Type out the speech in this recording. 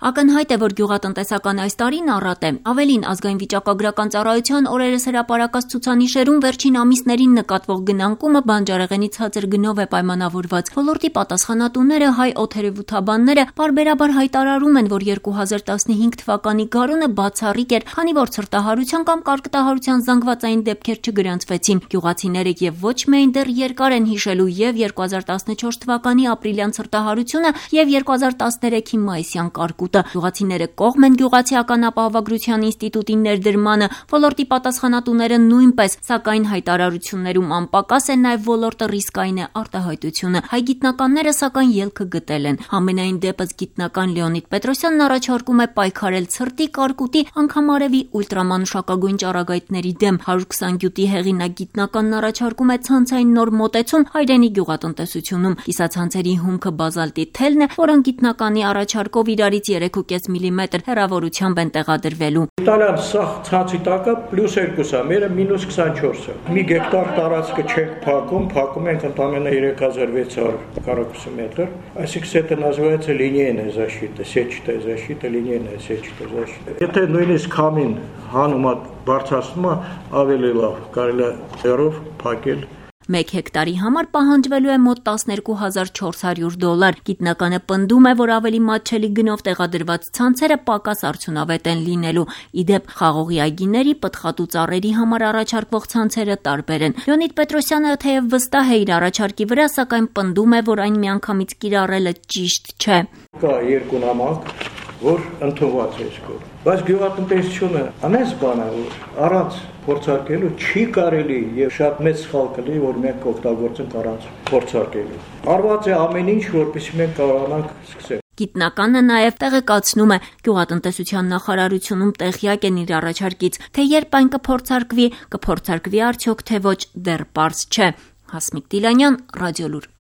Ակնհայտ է, որ գյուղատնտեսական այս տարին առատ է։ Ավելին, ազգային վիճակագրական ծառայության օրերս հրապարակած ցուցանիշերում վերջին ամիսներին նկատվող գնանկումը բանջարեղենի ցածր գնով է պայմանավորված։ Ոլորտի պատասխանատուները, հայ օդերևութաբանները պարբերաբար հայտարարում են, որ 2015 թվականի գարունը բացառիկ էր, քանի որ ցրտահարության կամ կարկտահարության զանգվածային դեպքեր չգրանցվեցին։ Գյուղացիները եւ ոչ միայն դեռ երկար են հիշելու եւ 2014 թվականի ապրիլյան ցրտահարությունը եւ 2013-ի մայիսյան կարկուտը։ Գյուղացիները կողմ են Գյուղացիական ապահովագրության ինստիտուտի ներդրմանը, ոլորտի պատասխանատուները նույնպես, սակայն հայտարարություններում անպակաս է նաև ոլորտը ռիսկային է արտահայտությունը։ Հայ գիտնականները սակայն ելքը գտել են։ Համենայն դեպս գիտնական Լեոնիդ Պետրոսյանն առաջարկում է պայքարել ցրտի, կարկուտի, անգամ արևի ուլտրամանուշակագույն ճառագայթների դեմ։ 120 գյուտի հեղինակ գիտնականն առաջարկում է ցանցային նոր մոտեցում հայրենի գյուղատնտեսությունում։ Կիսացանցերի հումքը բազալտի թելն է, որոնք գիտնականի առաջարկով իրարից 3.5 մմ հեռավորությամբ են տեղադրվելու։ Իտալիան սա ցանցի տակը +2 է, մերը -24 է։ Մի գեկտար տարածքը չենք փակում ենք ընդամենը 3600 քառակուսի մետր, այսինքն это называется линейная защита, сетчатая защита, линейная сетчатая защита։ Եթե նույնիսկ քամին հանումը բարձրացնում է, ավելի լավ, կարելի է երով փակել։ 1 հեկտարի համար պահանջվելու է մոտ $12400։ Գիտնականը պնդում է, որ ավելի մատչելի գնով տեղադրված ցանցերը պակաս արդյունավետ են լինելու։ Իդեպ խաղողի այգիների, պտղատու ծառերի համար առաջարկվող ցանցերը տարբեր են։ Լեոնիդ Պետրոսյանը թեև վստահ է իր առաջարկի վրա, սակայն պնդում է, որ այն միանգամից կիրառելը ճիշտ չէ։ Կա երկու նամակ, որ ընդունված է այսքան։ Բայց գյուղատնտեսությունը անես բան է, որ առանց փորձարկելու չի կարելի եւ շատ մեծ սխալ կլինի, որ մենք օգտագործենք առանց փորձարկելու։ Արված է ամեն ինչ, որպեսզի մենք կարողանանք սկսել։ Գիտնականը նաև տեղեկացնում է, գյուղատնտեսության նախարարությունում տեղյակ են իր առաջարկից, թե երբ այն կփորձարկվի արդյոք թե ոչ, դեռ պարզ չէ։ Հասմիկ Տիլանյան, Ռադիոլուր։